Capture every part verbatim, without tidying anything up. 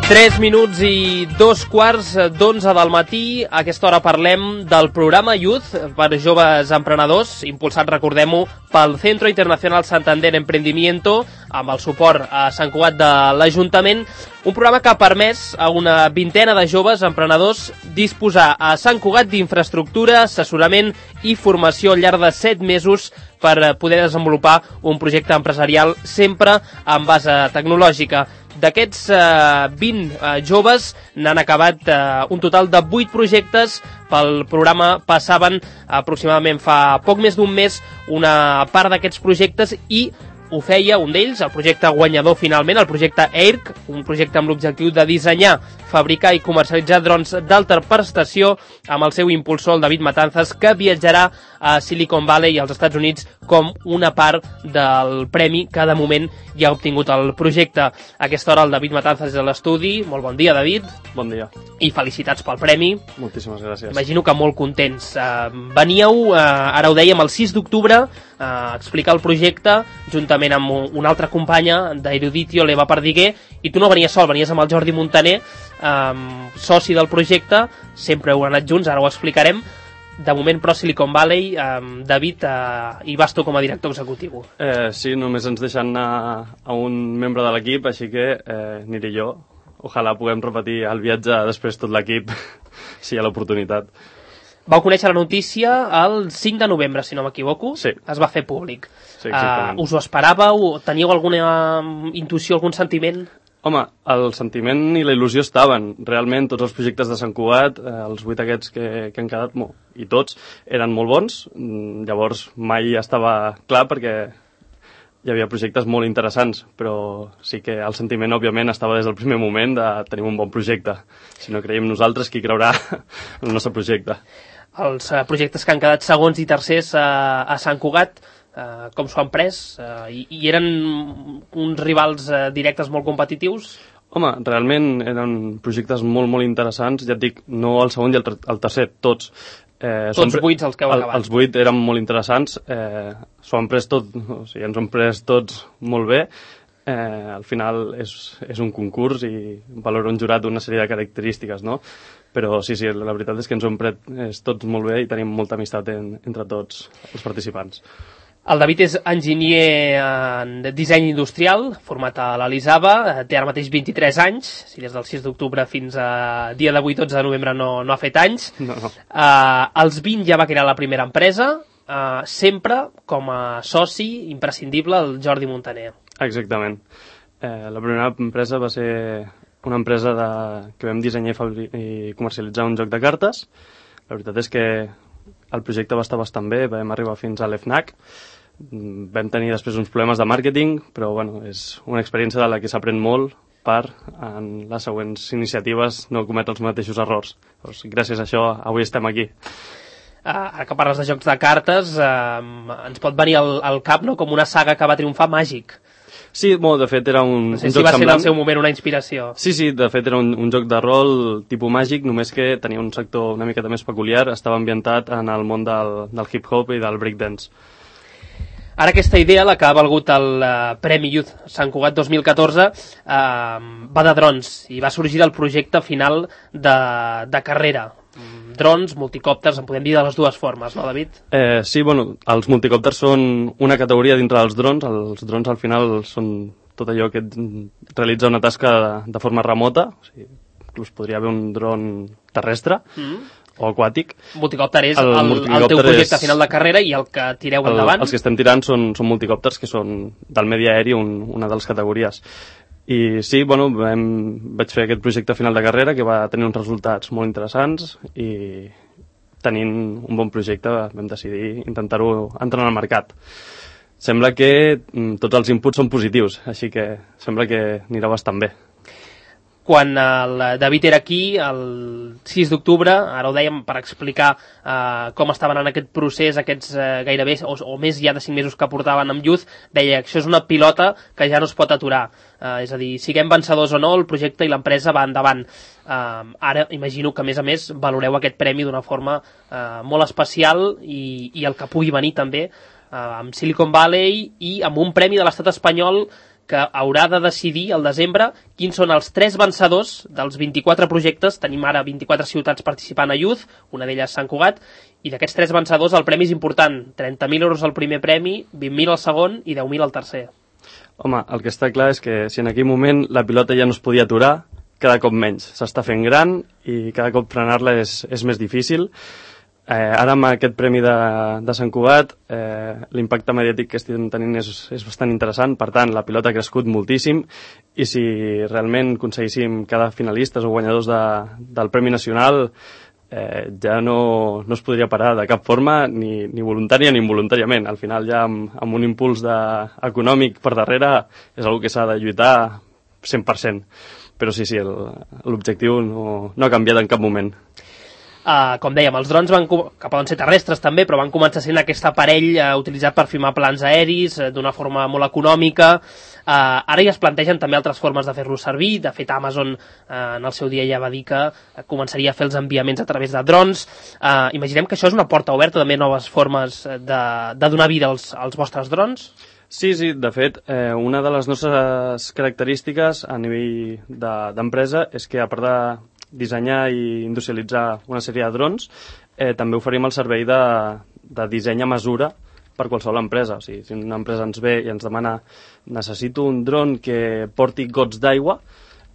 tres minuts i dos quarts d'onze del matí. A aquesta hora parlem del programa Youth per joves emprenedors, impulsat, recordem-ho, pel Centro Internacional Santander Emprendimiento, amb el suport a Sant Cugat de l'Ajuntament. Un programa que ha permès a una vintena de joves emprenedors disposar a Sant Cugat d'infraestructura, assessorament i formació al llarg de set mesos per poder desenvolupar un projecte empresarial sempre en base tecnològica. D'aquests eh, vint eh, joves n'han acabat eh, un total de vuit projectes. Pel programa passaven aproximadament fa poc més d'un mes una part d'aquests projectes i ho feia un d'ells, el projecte guanyador finalment, el projecte E I R C, un projecte amb l'objectiu de dissenyar, fabricar i comercialitzar drons d'alta prestació amb el seu impulsor, el David Matanzas, que viatjarà a Silicon Valley i als Estats Units com una part del premi que de moment ja ha obtingut el projecte. A aquesta hora el David Matanzas és a l'estudi. Molt bon dia, David. Bon dia. I felicitats pel premi. Moltíssimes gràcies. Imagino que molt contents. Uh, veníeu, uh, ara ho dèiem, el sis d'octubre uh, a explicar el projecte juntament amb una altra companya d'Eruditio, l'Eva Perdiguer, i tu no venies sol, venies amb el Jordi Montaner, um, soci del projecte. Sempre heu anat junts, ara ho explicarem. De moment, però, Silicon Valley, um, David, uh, hi vas tu com a director executiu. Eh, sí, només ens deixen anar a un membre de l'equip, així que eh, aniré jo. Ojalà puguem repetir el viatge després tot l'equip, si hi ha l'oportunitat. Vau conèixer la notícia el cinc de novembre, si no m'equivoco. Sí. Es va fer públic. Sí, exactament. Uh, us ho esperàveu? Teníeu alguna intuïció, algun sentiment? Home, el sentiment i la il·lusió estaven. Realment, tots els projectes de Sant Cugat, eh, els vuit aquests que, que han quedat, mo, i tots, eren molt bons. Llavors, mai estava clar perquè hi havia projectes molt interessants, però sí que el sentiment, òbviament, estava des del primer moment de tenir un bon projecte. Si no creiem nosaltres, qui creurà en el nostre projecte? Els uh, projectes que han quedat segons i tercers uh, a Sant Cugat, Uh, com s'ho han pres? Uh, i, I eren uns rivals uh, directes molt competitius? Home, realment eren projectes molt, molt interessants. Ja et dic, no el segon i el, el tercer, tots. Eh, tots pre... vuit els que heu el, acabat. Els vuit eren molt interessants. Eh, s'ho han pres tot, o sigui, ens ho han pres tots molt bé. Eh, al final és, és un concurs i valora un jurat una sèrie de característiques, no? Però sí, sí, la veritat és que ens ho hem pres tots molt bé i tenim molta amistat en, entre tots els participants. El David és enginyer en disseny industrial, format a l'Elisava, té ara mateix vint-i-tres anys, si des del sis d'octubre fins a dia d'avui, dotze de novembre, no, no ha fet anys. No, no. Uh, als vint ja va crear la primera empresa, uh, sempre com a soci imprescindible el Jordi Montaner. Exactament. Eh, la primera empresa va ser una empresa de, que vam dissenyar i, fabri i comercialitzar un joc de cartes. La veritat és que el projecte va estar bastant bé, vam arribar fins a l'E F N A C. Vam tenir després uns problemes de màrqueting, però bueno, és una experiència de la que s'aprèn molt per, en les següents iniciatives, no cometre els mateixos errors. Doncs, gràcies a això, avui estem aquí. Uh, ara que parles de jocs de cartes, uh, ens pot venir al, al cap, no?, com una saga que va triomfar, Màgic. Sí, bueno, de fet era un, no sé un si joc va semblant. Ser en el seu moment una inspiració. Sí, sí, de fet era un, un joc de rol tipus Màgic, només que tenia un sector una miqueta més peculiar, estava ambientat en el món del, del hip-hop i del breakdance. Ara aquesta idea, la que ha valgut el uh, Premi Youth Sant Cugat dos mil catorze, uh, va de drons i va sorgir del projecte final de, de carrera. Drons, multicòpters, en podem dir de les dues formes, no, David? Eh, sí, bueno, els multicòpters són una categoria dintre dels drons. Els drons al final són tot allò que realitza una tasca de, de forma remota. O sigui, inclús podria haver un dron terrestre mm. o aquàtic. Multicòpter és el, el, el teu projecte és... final de carrera i el que tireu el, endavant? Els que estem tirant són, són multicòpters, que són del medi aeri, un, una de les categories. I sí, bueno, vam, vaig fer aquest projecte final de carrera que va tenir uns resultats molt interessants i tenint un bon projecte vam decidir intentar-ho entrar en el mercat. Sembla que tots els inputs són positius, així que sembla que anirà bastant bé. Quan el David era aquí, el sis d'octubre, ara ho dèiem per explicar eh, com estaven en aquest procés, aquests eh, gairebé, o, o més ja de cinc mesos que portaven amb Youth, deia que això és una pilota que ja no es pot aturar. Eh, és a dir, siguem vencedors o no, el projecte i l'empresa va endavant. Eh, ara imagino que, a més a més, valoreu aquest premi d'una forma eh, molt especial i, i el que pugui venir també eh, amb Silicon Valley i amb un premi de l'estat espanyol que haurà de decidir al desembre quins són els tres vencedors dels vint-i-quatre projectes. Tenim ara vint-i-quatre ciutats participant a Youth, una d'elles Sant Cugat, i d'aquests tres vencedors el premi és important, trenta mil euros al primer premi, vint mil al segon i deu mil al tercer. Home, el que està clar és que si en aquell moment la pilota ja no es podia aturar, cada cop menys. S'està fent gran i cada cop frenar-la és, és més difícil. Eh, ara amb aquest premi de, de Sant Cugat, eh, l'impacte mediàtic que estem tenint és, és bastant interessant, per tant la pilota ha crescut moltíssim i si realment aconseguíssim cada finalistes o guanyadors de, del Premi Nacional, eh, ja no, no es podria parar de cap forma, ni, ni voluntària ni involuntàriament. Al final ja amb, amb un impuls de, econòmic per darrere és una que s'ha de lluitar cent per cent. Però sí, sí, l'objectiu no, no ha canviat en cap moment. Uh, com dèiem, els drons van, que poden ser terrestres també, però van començar sent aquest aparell uh, utilitzat per filmar plans aeris uh, d'una forma molt econòmica. Uh, ara ja es plantegen també altres formes de fer-los servir. De fet, Amazon uh, en el seu dia ja va dir que uh, començaria a fer els enviaments a través de drons. Uh, imaginem que això és una porta oberta també a noves formes de, de donar vida als, als vostres drons. Sí, sí, de fet, eh, una de les nostres característiques a nivell d'empresa de, és que, a part de dissenyar i industrialitzar una sèrie de drons, eh, també oferim el servei de, de disseny a mesura per qualsevol empresa. O sigui, si una empresa ens ve i ens demana necessito un dron que porti gots d'aigua,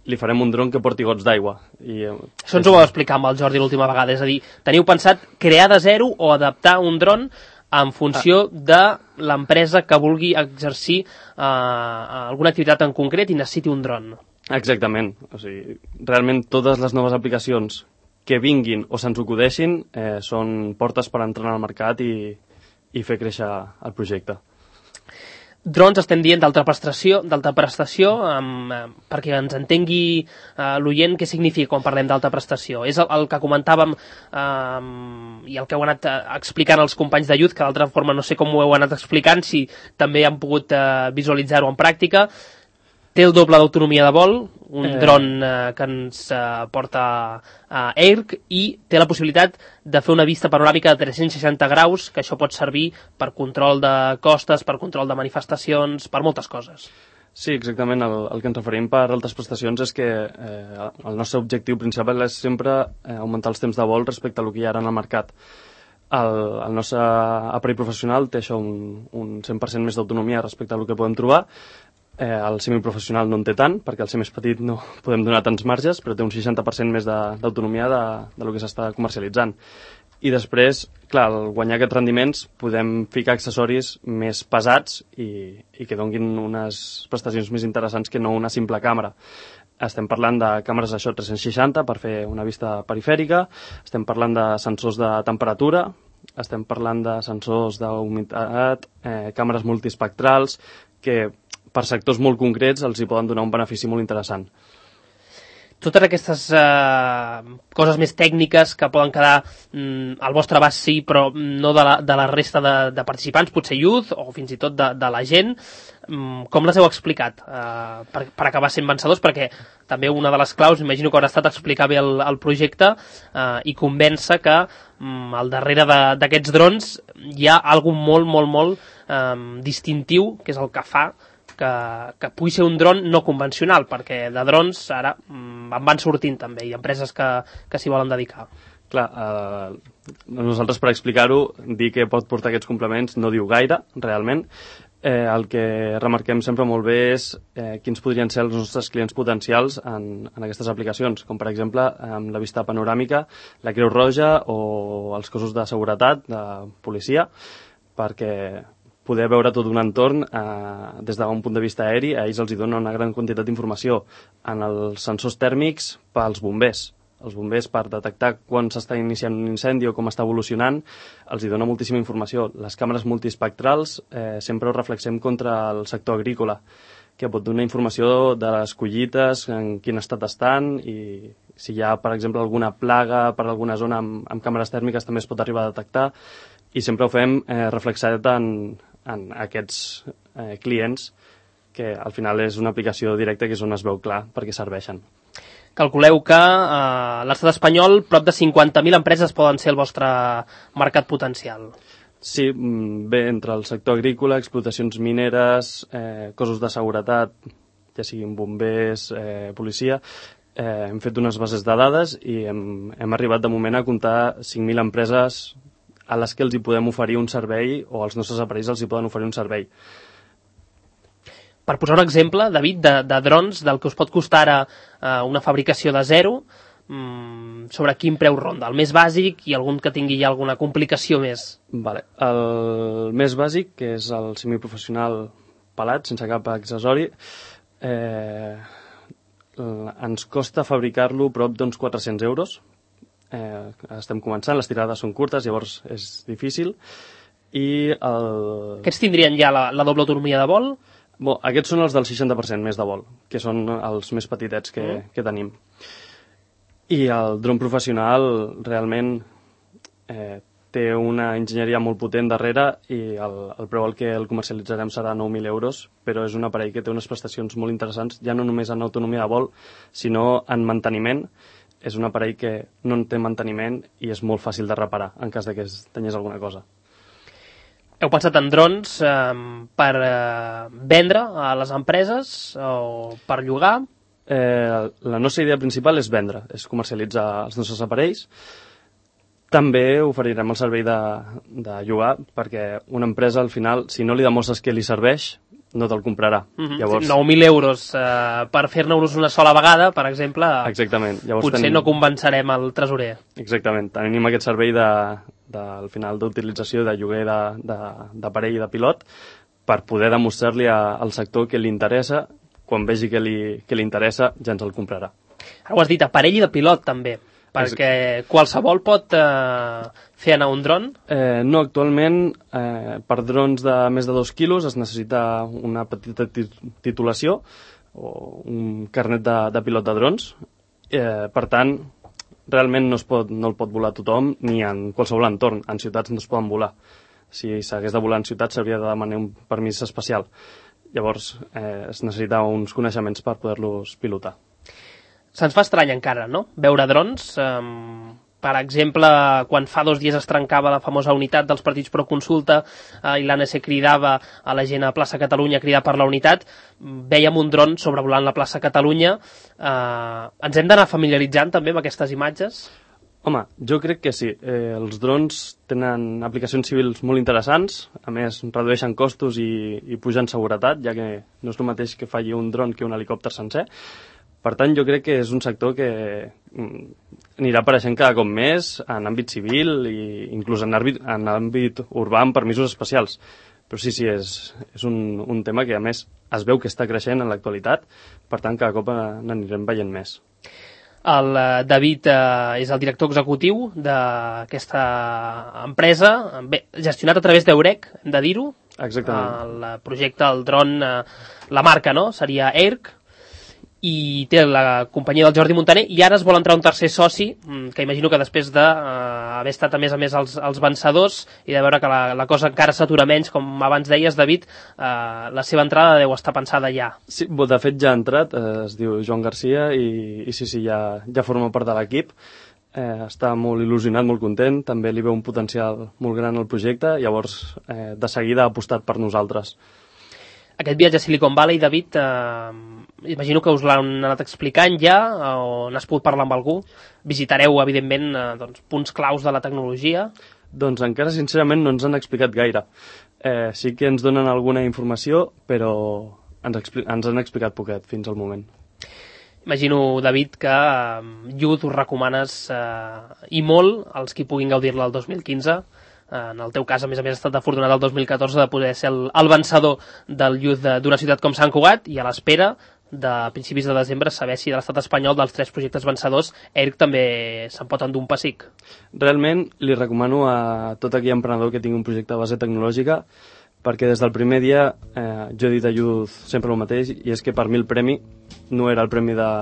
li farem un dron que porti gots d'aigua. I, eh, Això ens ho vau explicar amb el Jordi l'última vegada, és a dir, teniu pensat crear de zero o adaptar un dron en funció de l'empresa que vulgui exercir eh, alguna activitat en concret i necessiti un dron. Exactament. O sigui, realment totes les noves aplicacions que vinguin o se'ns acudeixin eh, són portes per entrar al mercat i, i fer créixer el projecte. Drons estem dient d'alta prestació, d'alta prestació um, um, perquè ens entengui uh, l'oient què significa quan parlem d'alta prestació. És el, el que comentàvem um, i el que heu anat uh, explicant els companys de Youth, que d'altra forma no sé com ho heu anat explicant, si també han pogut uh, visualitzar-ho en pràctica. Té el doble d'autonomia de vol, un eh... dron eh, que ens eh, porta a eh, Air, i té la possibilitat de fer una vista panoràmica de tres-cents seixanta graus, que això pot servir per control de costes, per control de manifestacions, per moltes coses. Sí, exactament. El, el que ens referim per altres prestacions és que eh, el nostre objectiu principal és sempre eh, augmentar els temps de vol respecte a el que hi ha ara en el mercat. El, el nostre aparell professional té això un, un cent per cent més d'autonomia respecte a el que podem trobar. Eh, el semiprofessional no en té tant, perquè al ser més petit no podem donar tants marges, però té un seixanta per cent més d'autonomia de, de, de lo que s'està comercialitzant. I després, clar, al guanyar aquests rendiments podem ficar accessoris més pesats i, i que donguin unes prestacions més interessants que no una simple càmera. Estem parlant de càmeres això tres-cents seixanta per fer una vista perifèrica, estem parlant de sensors de temperatura, estem parlant de sensors d'humitat, eh, càmeres multiespectrals, que per sectors molt concrets els hi poden donar un benefici molt interessant. Totes aquestes eh, coses més tècniques que poden quedar mm, al vostre abast, sí, però no de la, de la resta de, de participants, potser Youth o fins i tot de, de la gent, mm, com les heu explicat eh, per, per acabar sent vencedors? Perquè també una de les claus, imagino que haurà estat explicar bé el, el projecte eh, i convèncer que mm, al darrere d'aquests drons hi ha alguna molt, molt, molt eh, distintiu, que és el que fa que, que pugui ser un dron no convencional, perquè de drons ara mm, en van sortint també, i empreses que, que s'hi volen dedicar. Clar, eh, nosaltres per explicar-ho, dir que pot portar aquests complements no diu gaire, realment. Eh, el que remarquem sempre molt bé és eh, quins podrien ser els nostres clients potencials en, en aquestes aplicacions, com per exemple amb la vista panoràmica, la Creu Roja o els cossos de seguretat, de policia, perquè poder veure tot un entorn eh, des d'un punt de vista aeri, a ells els hi dona una gran quantitat d'informació. En els sensors tèrmics, pels bombers. Els bombers, per detectar quan s'està iniciant un incendi o com està evolucionant, els hi dona moltíssima informació. Les càmeres multiespectrals eh, sempre ho reflexem contra el sector agrícola, que pot donar informació de les collites, en quin estat estan, i si hi ha, per exemple, alguna plaga per alguna zona amb, amb càmeres tèrmiques també es pot arribar a detectar, i sempre ho fem eh, reflexat en, en aquests eh, clients, que al final és una aplicació directa que és on es veu clar perquè serveixen. Calculeu que a eh, l'estat espanyol prop de cinquanta mil empreses poden ser el vostre mercat potencial. Sí, bé, entre el sector agrícola, explotacions mineres, eh, cossos de seguretat, ja siguin bombers, eh, policia, eh, hem fet unes bases de dades i hem, hem arribat de moment a comptar cinc mil empreses a les que els hi podem oferir un servei o als nostres aparells els hi poden oferir un servei. Per posar un exemple, David, de, de drons, del que us pot costar ara eh, una fabricació de zero, mmm, sobre quin preu ronda? El més bàsic i algun que tingui ja alguna complicació més? Vale. El més bàsic, que és el semiprofessional pelat, sense cap accessori, eh, ens costa fabricar-lo prop d'uns quatre-cents euros. Eh, estem començant, les tirades són curtes, llavors és difícil. I el... Aquests tindrien ja la, la doble autonomia de vol? Bon, aquests són els del seixanta per cent més de vol, que són els més petitets que, mm. que tenim. I el dron professional realment eh, té una enginyeria molt potent darrere i el, el preu al que el comercialitzarem serà nou mil euros, però és un aparell que té unes prestacions molt interessants, ja no només en autonomia de vol, sinó en manteniment. És un aparell que no té manteniment i és molt fàcil de reparar en cas de que es tanyés alguna cosa. Heu pensat en drons eh, per eh, vendre a les empreses o per llogar? Eh, la nostra idea principal és vendre, és comercialitzar els nostres aparells. També oferirem el servei de, de llogar, perquè una empresa, al final, si no li demostres que li serveix, no te'l comprarà. Mm-hmm. Llavors... nou mil euros eh, per fer-ne-us una sola vegada, per exemple, Exactament. Llavors potser tenim... no convencerem el tresorer. Exactament. Tenim aquest servei de, de, al final d'utilització de lloguer d'aparell i de pilot per poder demostrar-li al sector que li interessa. Quan vegi que li, que li interessa, ja ens el comprarà. Ara ho has dit, aparell i de pilot, també. Perquè qualsevol pot eh, fer anar un dron? Eh, no, actualment eh, per drons de més de dos quilos es necessita una petita titulació o un carnet de, de pilot de drons. Eh, per tant, realment no, es pot, no el pot volar tothom ni en qualsevol entorn. En ciutats no es poden volar. Si s'hagués de volar en ciutats s'hauria de demanar un permís especial. Llavors eh, es necessita uns coneixements per poder-los pilotar. Se'ns fa estrany encara, no?, veure drons. Um, per exemple, quan fa dos dies es trencava la famosa unitat dels partits pro consulta uh, i l'A N C cridava a la gent a plaça Catalunya a cridar per la unitat, vèiem un dron sobrevolant la plaça Catalunya. Uh, ens hem d'anar familiaritzant també amb aquestes imatges? Home, jo crec que sí. Eh, els drons tenen aplicacions civils molt interessants, a més redueixen costos i, i pugen seguretat, ja que no és el mateix que falli un dron que un helicòpter sencer. Per tant, jo crec que és un sector que anirà apareixent cada cop més en àmbit civil i inclús en àmbit, en àmbit urbà amb permisos especials. Però sí, sí, és, és un, un tema que a més es veu que està creixent en l'actualitat, per tant cada cop n'anirem veient més. El David eh, és el director executiu d'aquesta empresa, bé, gestionat a través d'Eurec, hem de dir-ho. Exactament. El projecte, el dron, eh, la marca, no?, seria ERC, i té la companyia del Jordi Montaner, i ara es vol entrar un tercer soci, que imagino que després d'haver uh, estat a més a més els, els vencedors i de veure que la, la cosa encara s'atura menys, com abans deies, David, uh, la seva entrada deu estar pensada ja. Sí, de fet ja ha entrat, eh, es diu Joan Garcia, i, i sí, sí, ja, ja forma part de l'equip. Eh, està molt il·lusionat, molt content, també li veu un potencial molt gran al projecte, llavors eh, de seguida ha apostat per nosaltres. Aquest viatge a Silicon Valley, David, eh, imagino que us l'han anat explicant ja, o n'has pogut parlar amb algú? Visitareu, evidentment, eh, doncs, punts claus de la tecnologia? Doncs encara, sincerament, no ens han explicat gaire. Eh, sí que ens donen alguna informació, però ens, expli- ens han explicat poquet fins al moment. Imagino, David, que eh, Youth us recomanes eh, i molt als qui puguin gaudir-la el dos mil quinze. En el teu cas, a més a més, has estat afortunat el dos mil catorze de poder ser el, el vencedor del Youth d'una ciutat com Sant Cugat, i a l'espera de principis de desembre saber si de l'estat espanyol, dels tres projectes vencedors, ERC també se'n pot endur un pessic. Realment li recomano a tot aquell emprenedor que tingui un projecte a base tecnològica, perquè des del primer dia eh, jo he dit a Youth sempre el mateix, i és que per mi el premi no era el premi de,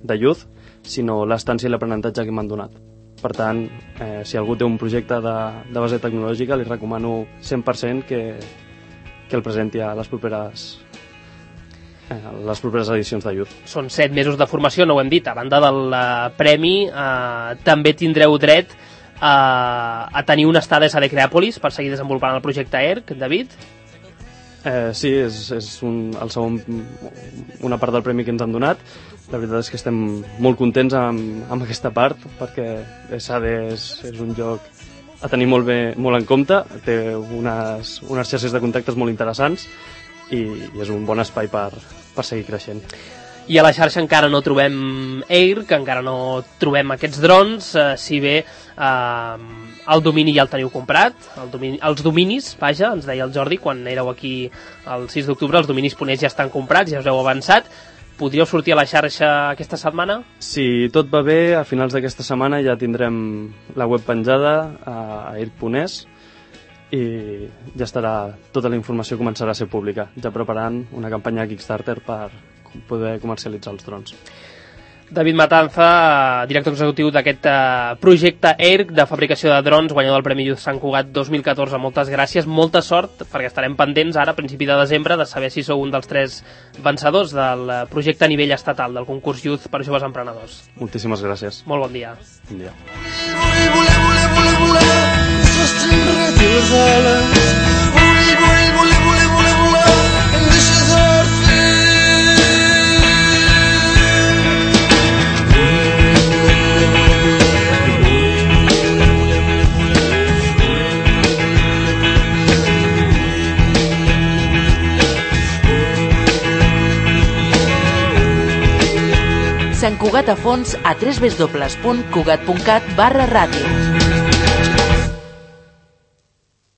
de Youth, sinó l'estància i l'aprenentatge que m'han donat. Per tant, eh, si algú té un projecte de, de base tecnològica, li recomano cent per cent que, que el presenti a les properes, eh, les properes edicions de Youth. Són set mesos de formació, no ho hem dit. A banda del uh, premi, uh, també tindreu dret a, a tenir un estades a Decreàpolis per seguir desenvolupant el projecte E R C, David? Eh, sí, és, és un, el segon, una part del premi que ens han donat. La veritat és que estem molt contents amb, amb aquesta part, perquè Sade és, és un lloc a tenir molt, bé, molt en compte, té unes, unes xarxes de contactes molt interessants i, i és un bon espai per, per seguir creixent. I a la xarxa encara no trobem E I R, que encara no trobem aquests drons, eh, si bé eh, el domini ja el teniu comprat, el domini, els dominis, vaja, ens deia el Jordi, quan éreu aquí el sis d'octubre, els dominis ponents ja estan comprats, ja us heu avançat. Podríeu sortir a la xarxa aquesta setmana? Si tot va bé, a finals d'aquesta setmana ja tindrem la web penjada a, a E I R C punt es i ja estarà, tota la informació començarà a ser pública, ja preparant una campanya Kickstarter per poder comercialitzar els drons. David Matanza, director executiu d'aquest uh, projecte E R C de fabricació de drons, guanyador del Premi Youth Sant Cugat dos mil catorze. Moltes gràcies, molta sort, perquè estarem pendents ara, a principi de desembre, de saber si sou un dels tres vencedors del projecte a nivell estatal, del concurs Youth per joves emprenedors. Moltíssimes gràcies. Molt bon dia. Bon dia. Sant Cugat a fons a w w w punt cugat punt cat barra ràdio.